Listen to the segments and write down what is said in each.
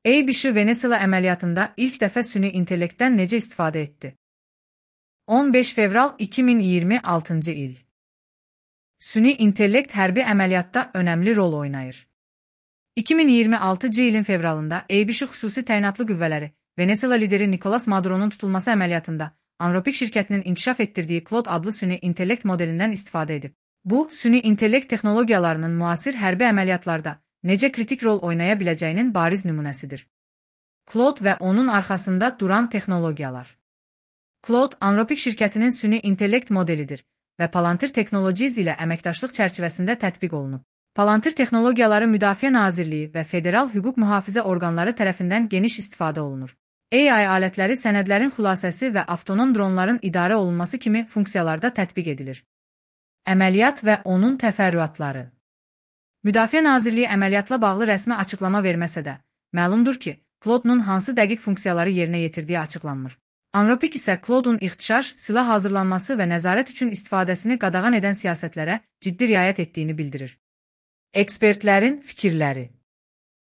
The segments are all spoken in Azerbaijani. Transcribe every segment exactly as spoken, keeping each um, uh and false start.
A-B-Ş Venezuela əməliyyatında ilk dəfə süni intellektdən necə istifadə etdi? on beş fevral iki min iyirmi altıncı il. Süni intellekt hərbi əməliyyatda önəmli rol oynayır. iki min iyirmi altıncı ilin fevralında A-B-Ş xüsusi təyinatlı qüvvələri Venezuela lideri Nicolas Maduro'nun tutulması əməliyyatında Anropik şirkətinin inkişaf etdirdiyi Claude adlı süni intellekt modelindən istifadə edib. Bu, süni intellekt texnologiyalarının müasir hərbi əməliyyatlarda necə kritik rol oynaya biləcəyinin bariz nümunəsidir. Claude və onun arxasında duran texnologiyalar. Claude, Anropik şirkətinin süni intellekt modelidir və Palantir Technologies ilə əməkdaşlıq çərçivəsində tətbiq olunub. Palantir texnologiyaları Müdafiə Nazirliyi və federal hüquq mühafizə orqanları tərəfindən geniş istifadə olunur. A I alətləri sənədlərin xülasəsi və avtonom dronların idarə olunması kimi funksiyalarda tətbiq edilir. Əməliyyat və onun təfərrüatları. Müdafiə Nazirliyi əməliyyatla bağlı rəsmi açıqlama verməsə də, məlumdur ki, Claude'nun hansı dəqiq funksiyaları yerinə yetirdiyi açıqlanmır. Anropik isə Claude'un ixtişaş, silah hazırlanması və nəzarət üçün istifadəsini qadağan edən siyasətlərə ciddi riayət etdiyini bildirir. Ekspertlərin fikirləri.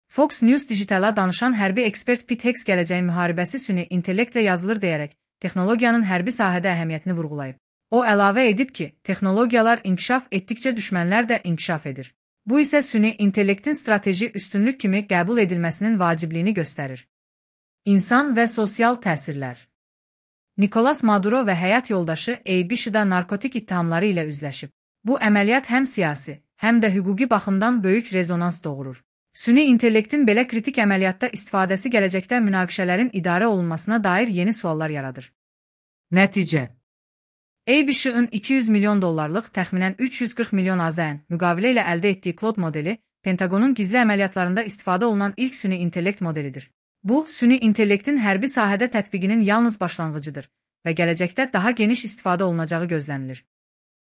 Fox News Digitala danışan hərbi ekspert Pete Hicks gələcəyin müharibəsi süni intellektlə yazılır deyərək, texnologiyanın hərbi sahədə əhəmiyyətini vurğulayıb. O əlavə edib ki, texnologiyalar inkişaf etdikcə düşmənlər də inkişaf edir. Bu isə süni intellektin strateji üstünlük kimi qəbul edilməsinin vacibliyini göstərir. İnsan və sosial təsirlər. Nicolas Maduro və həyat yoldaşı A-B-Ş'da narkotik ittihamları ilə üzləşib. Bu əməliyyat həm siyasi, həm də hüquqi baxımdan böyük rezonans doğurur. Süni intellektin belə kritik əməliyyatda istifadəsi gələcəkdə münaqişələrin idarə olunmasına dair yeni suallar yaradır. Nəticə. A-B-Ş'ın iki yüz milyon dollarlıq təxminən üç yüz qırx milyon AZN müqavilə ilə əldə etdiyi Claude modeli, Pentagonun gizli əməliyyatlarında istifadə olunan ilk süni intellekt modelidir. Bu, süni intellektin hərbi sahədə tətbiqinin yalnız başlanğıcıdır və gələcəkdə daha geniş istifadə olunacağı gözlənilir.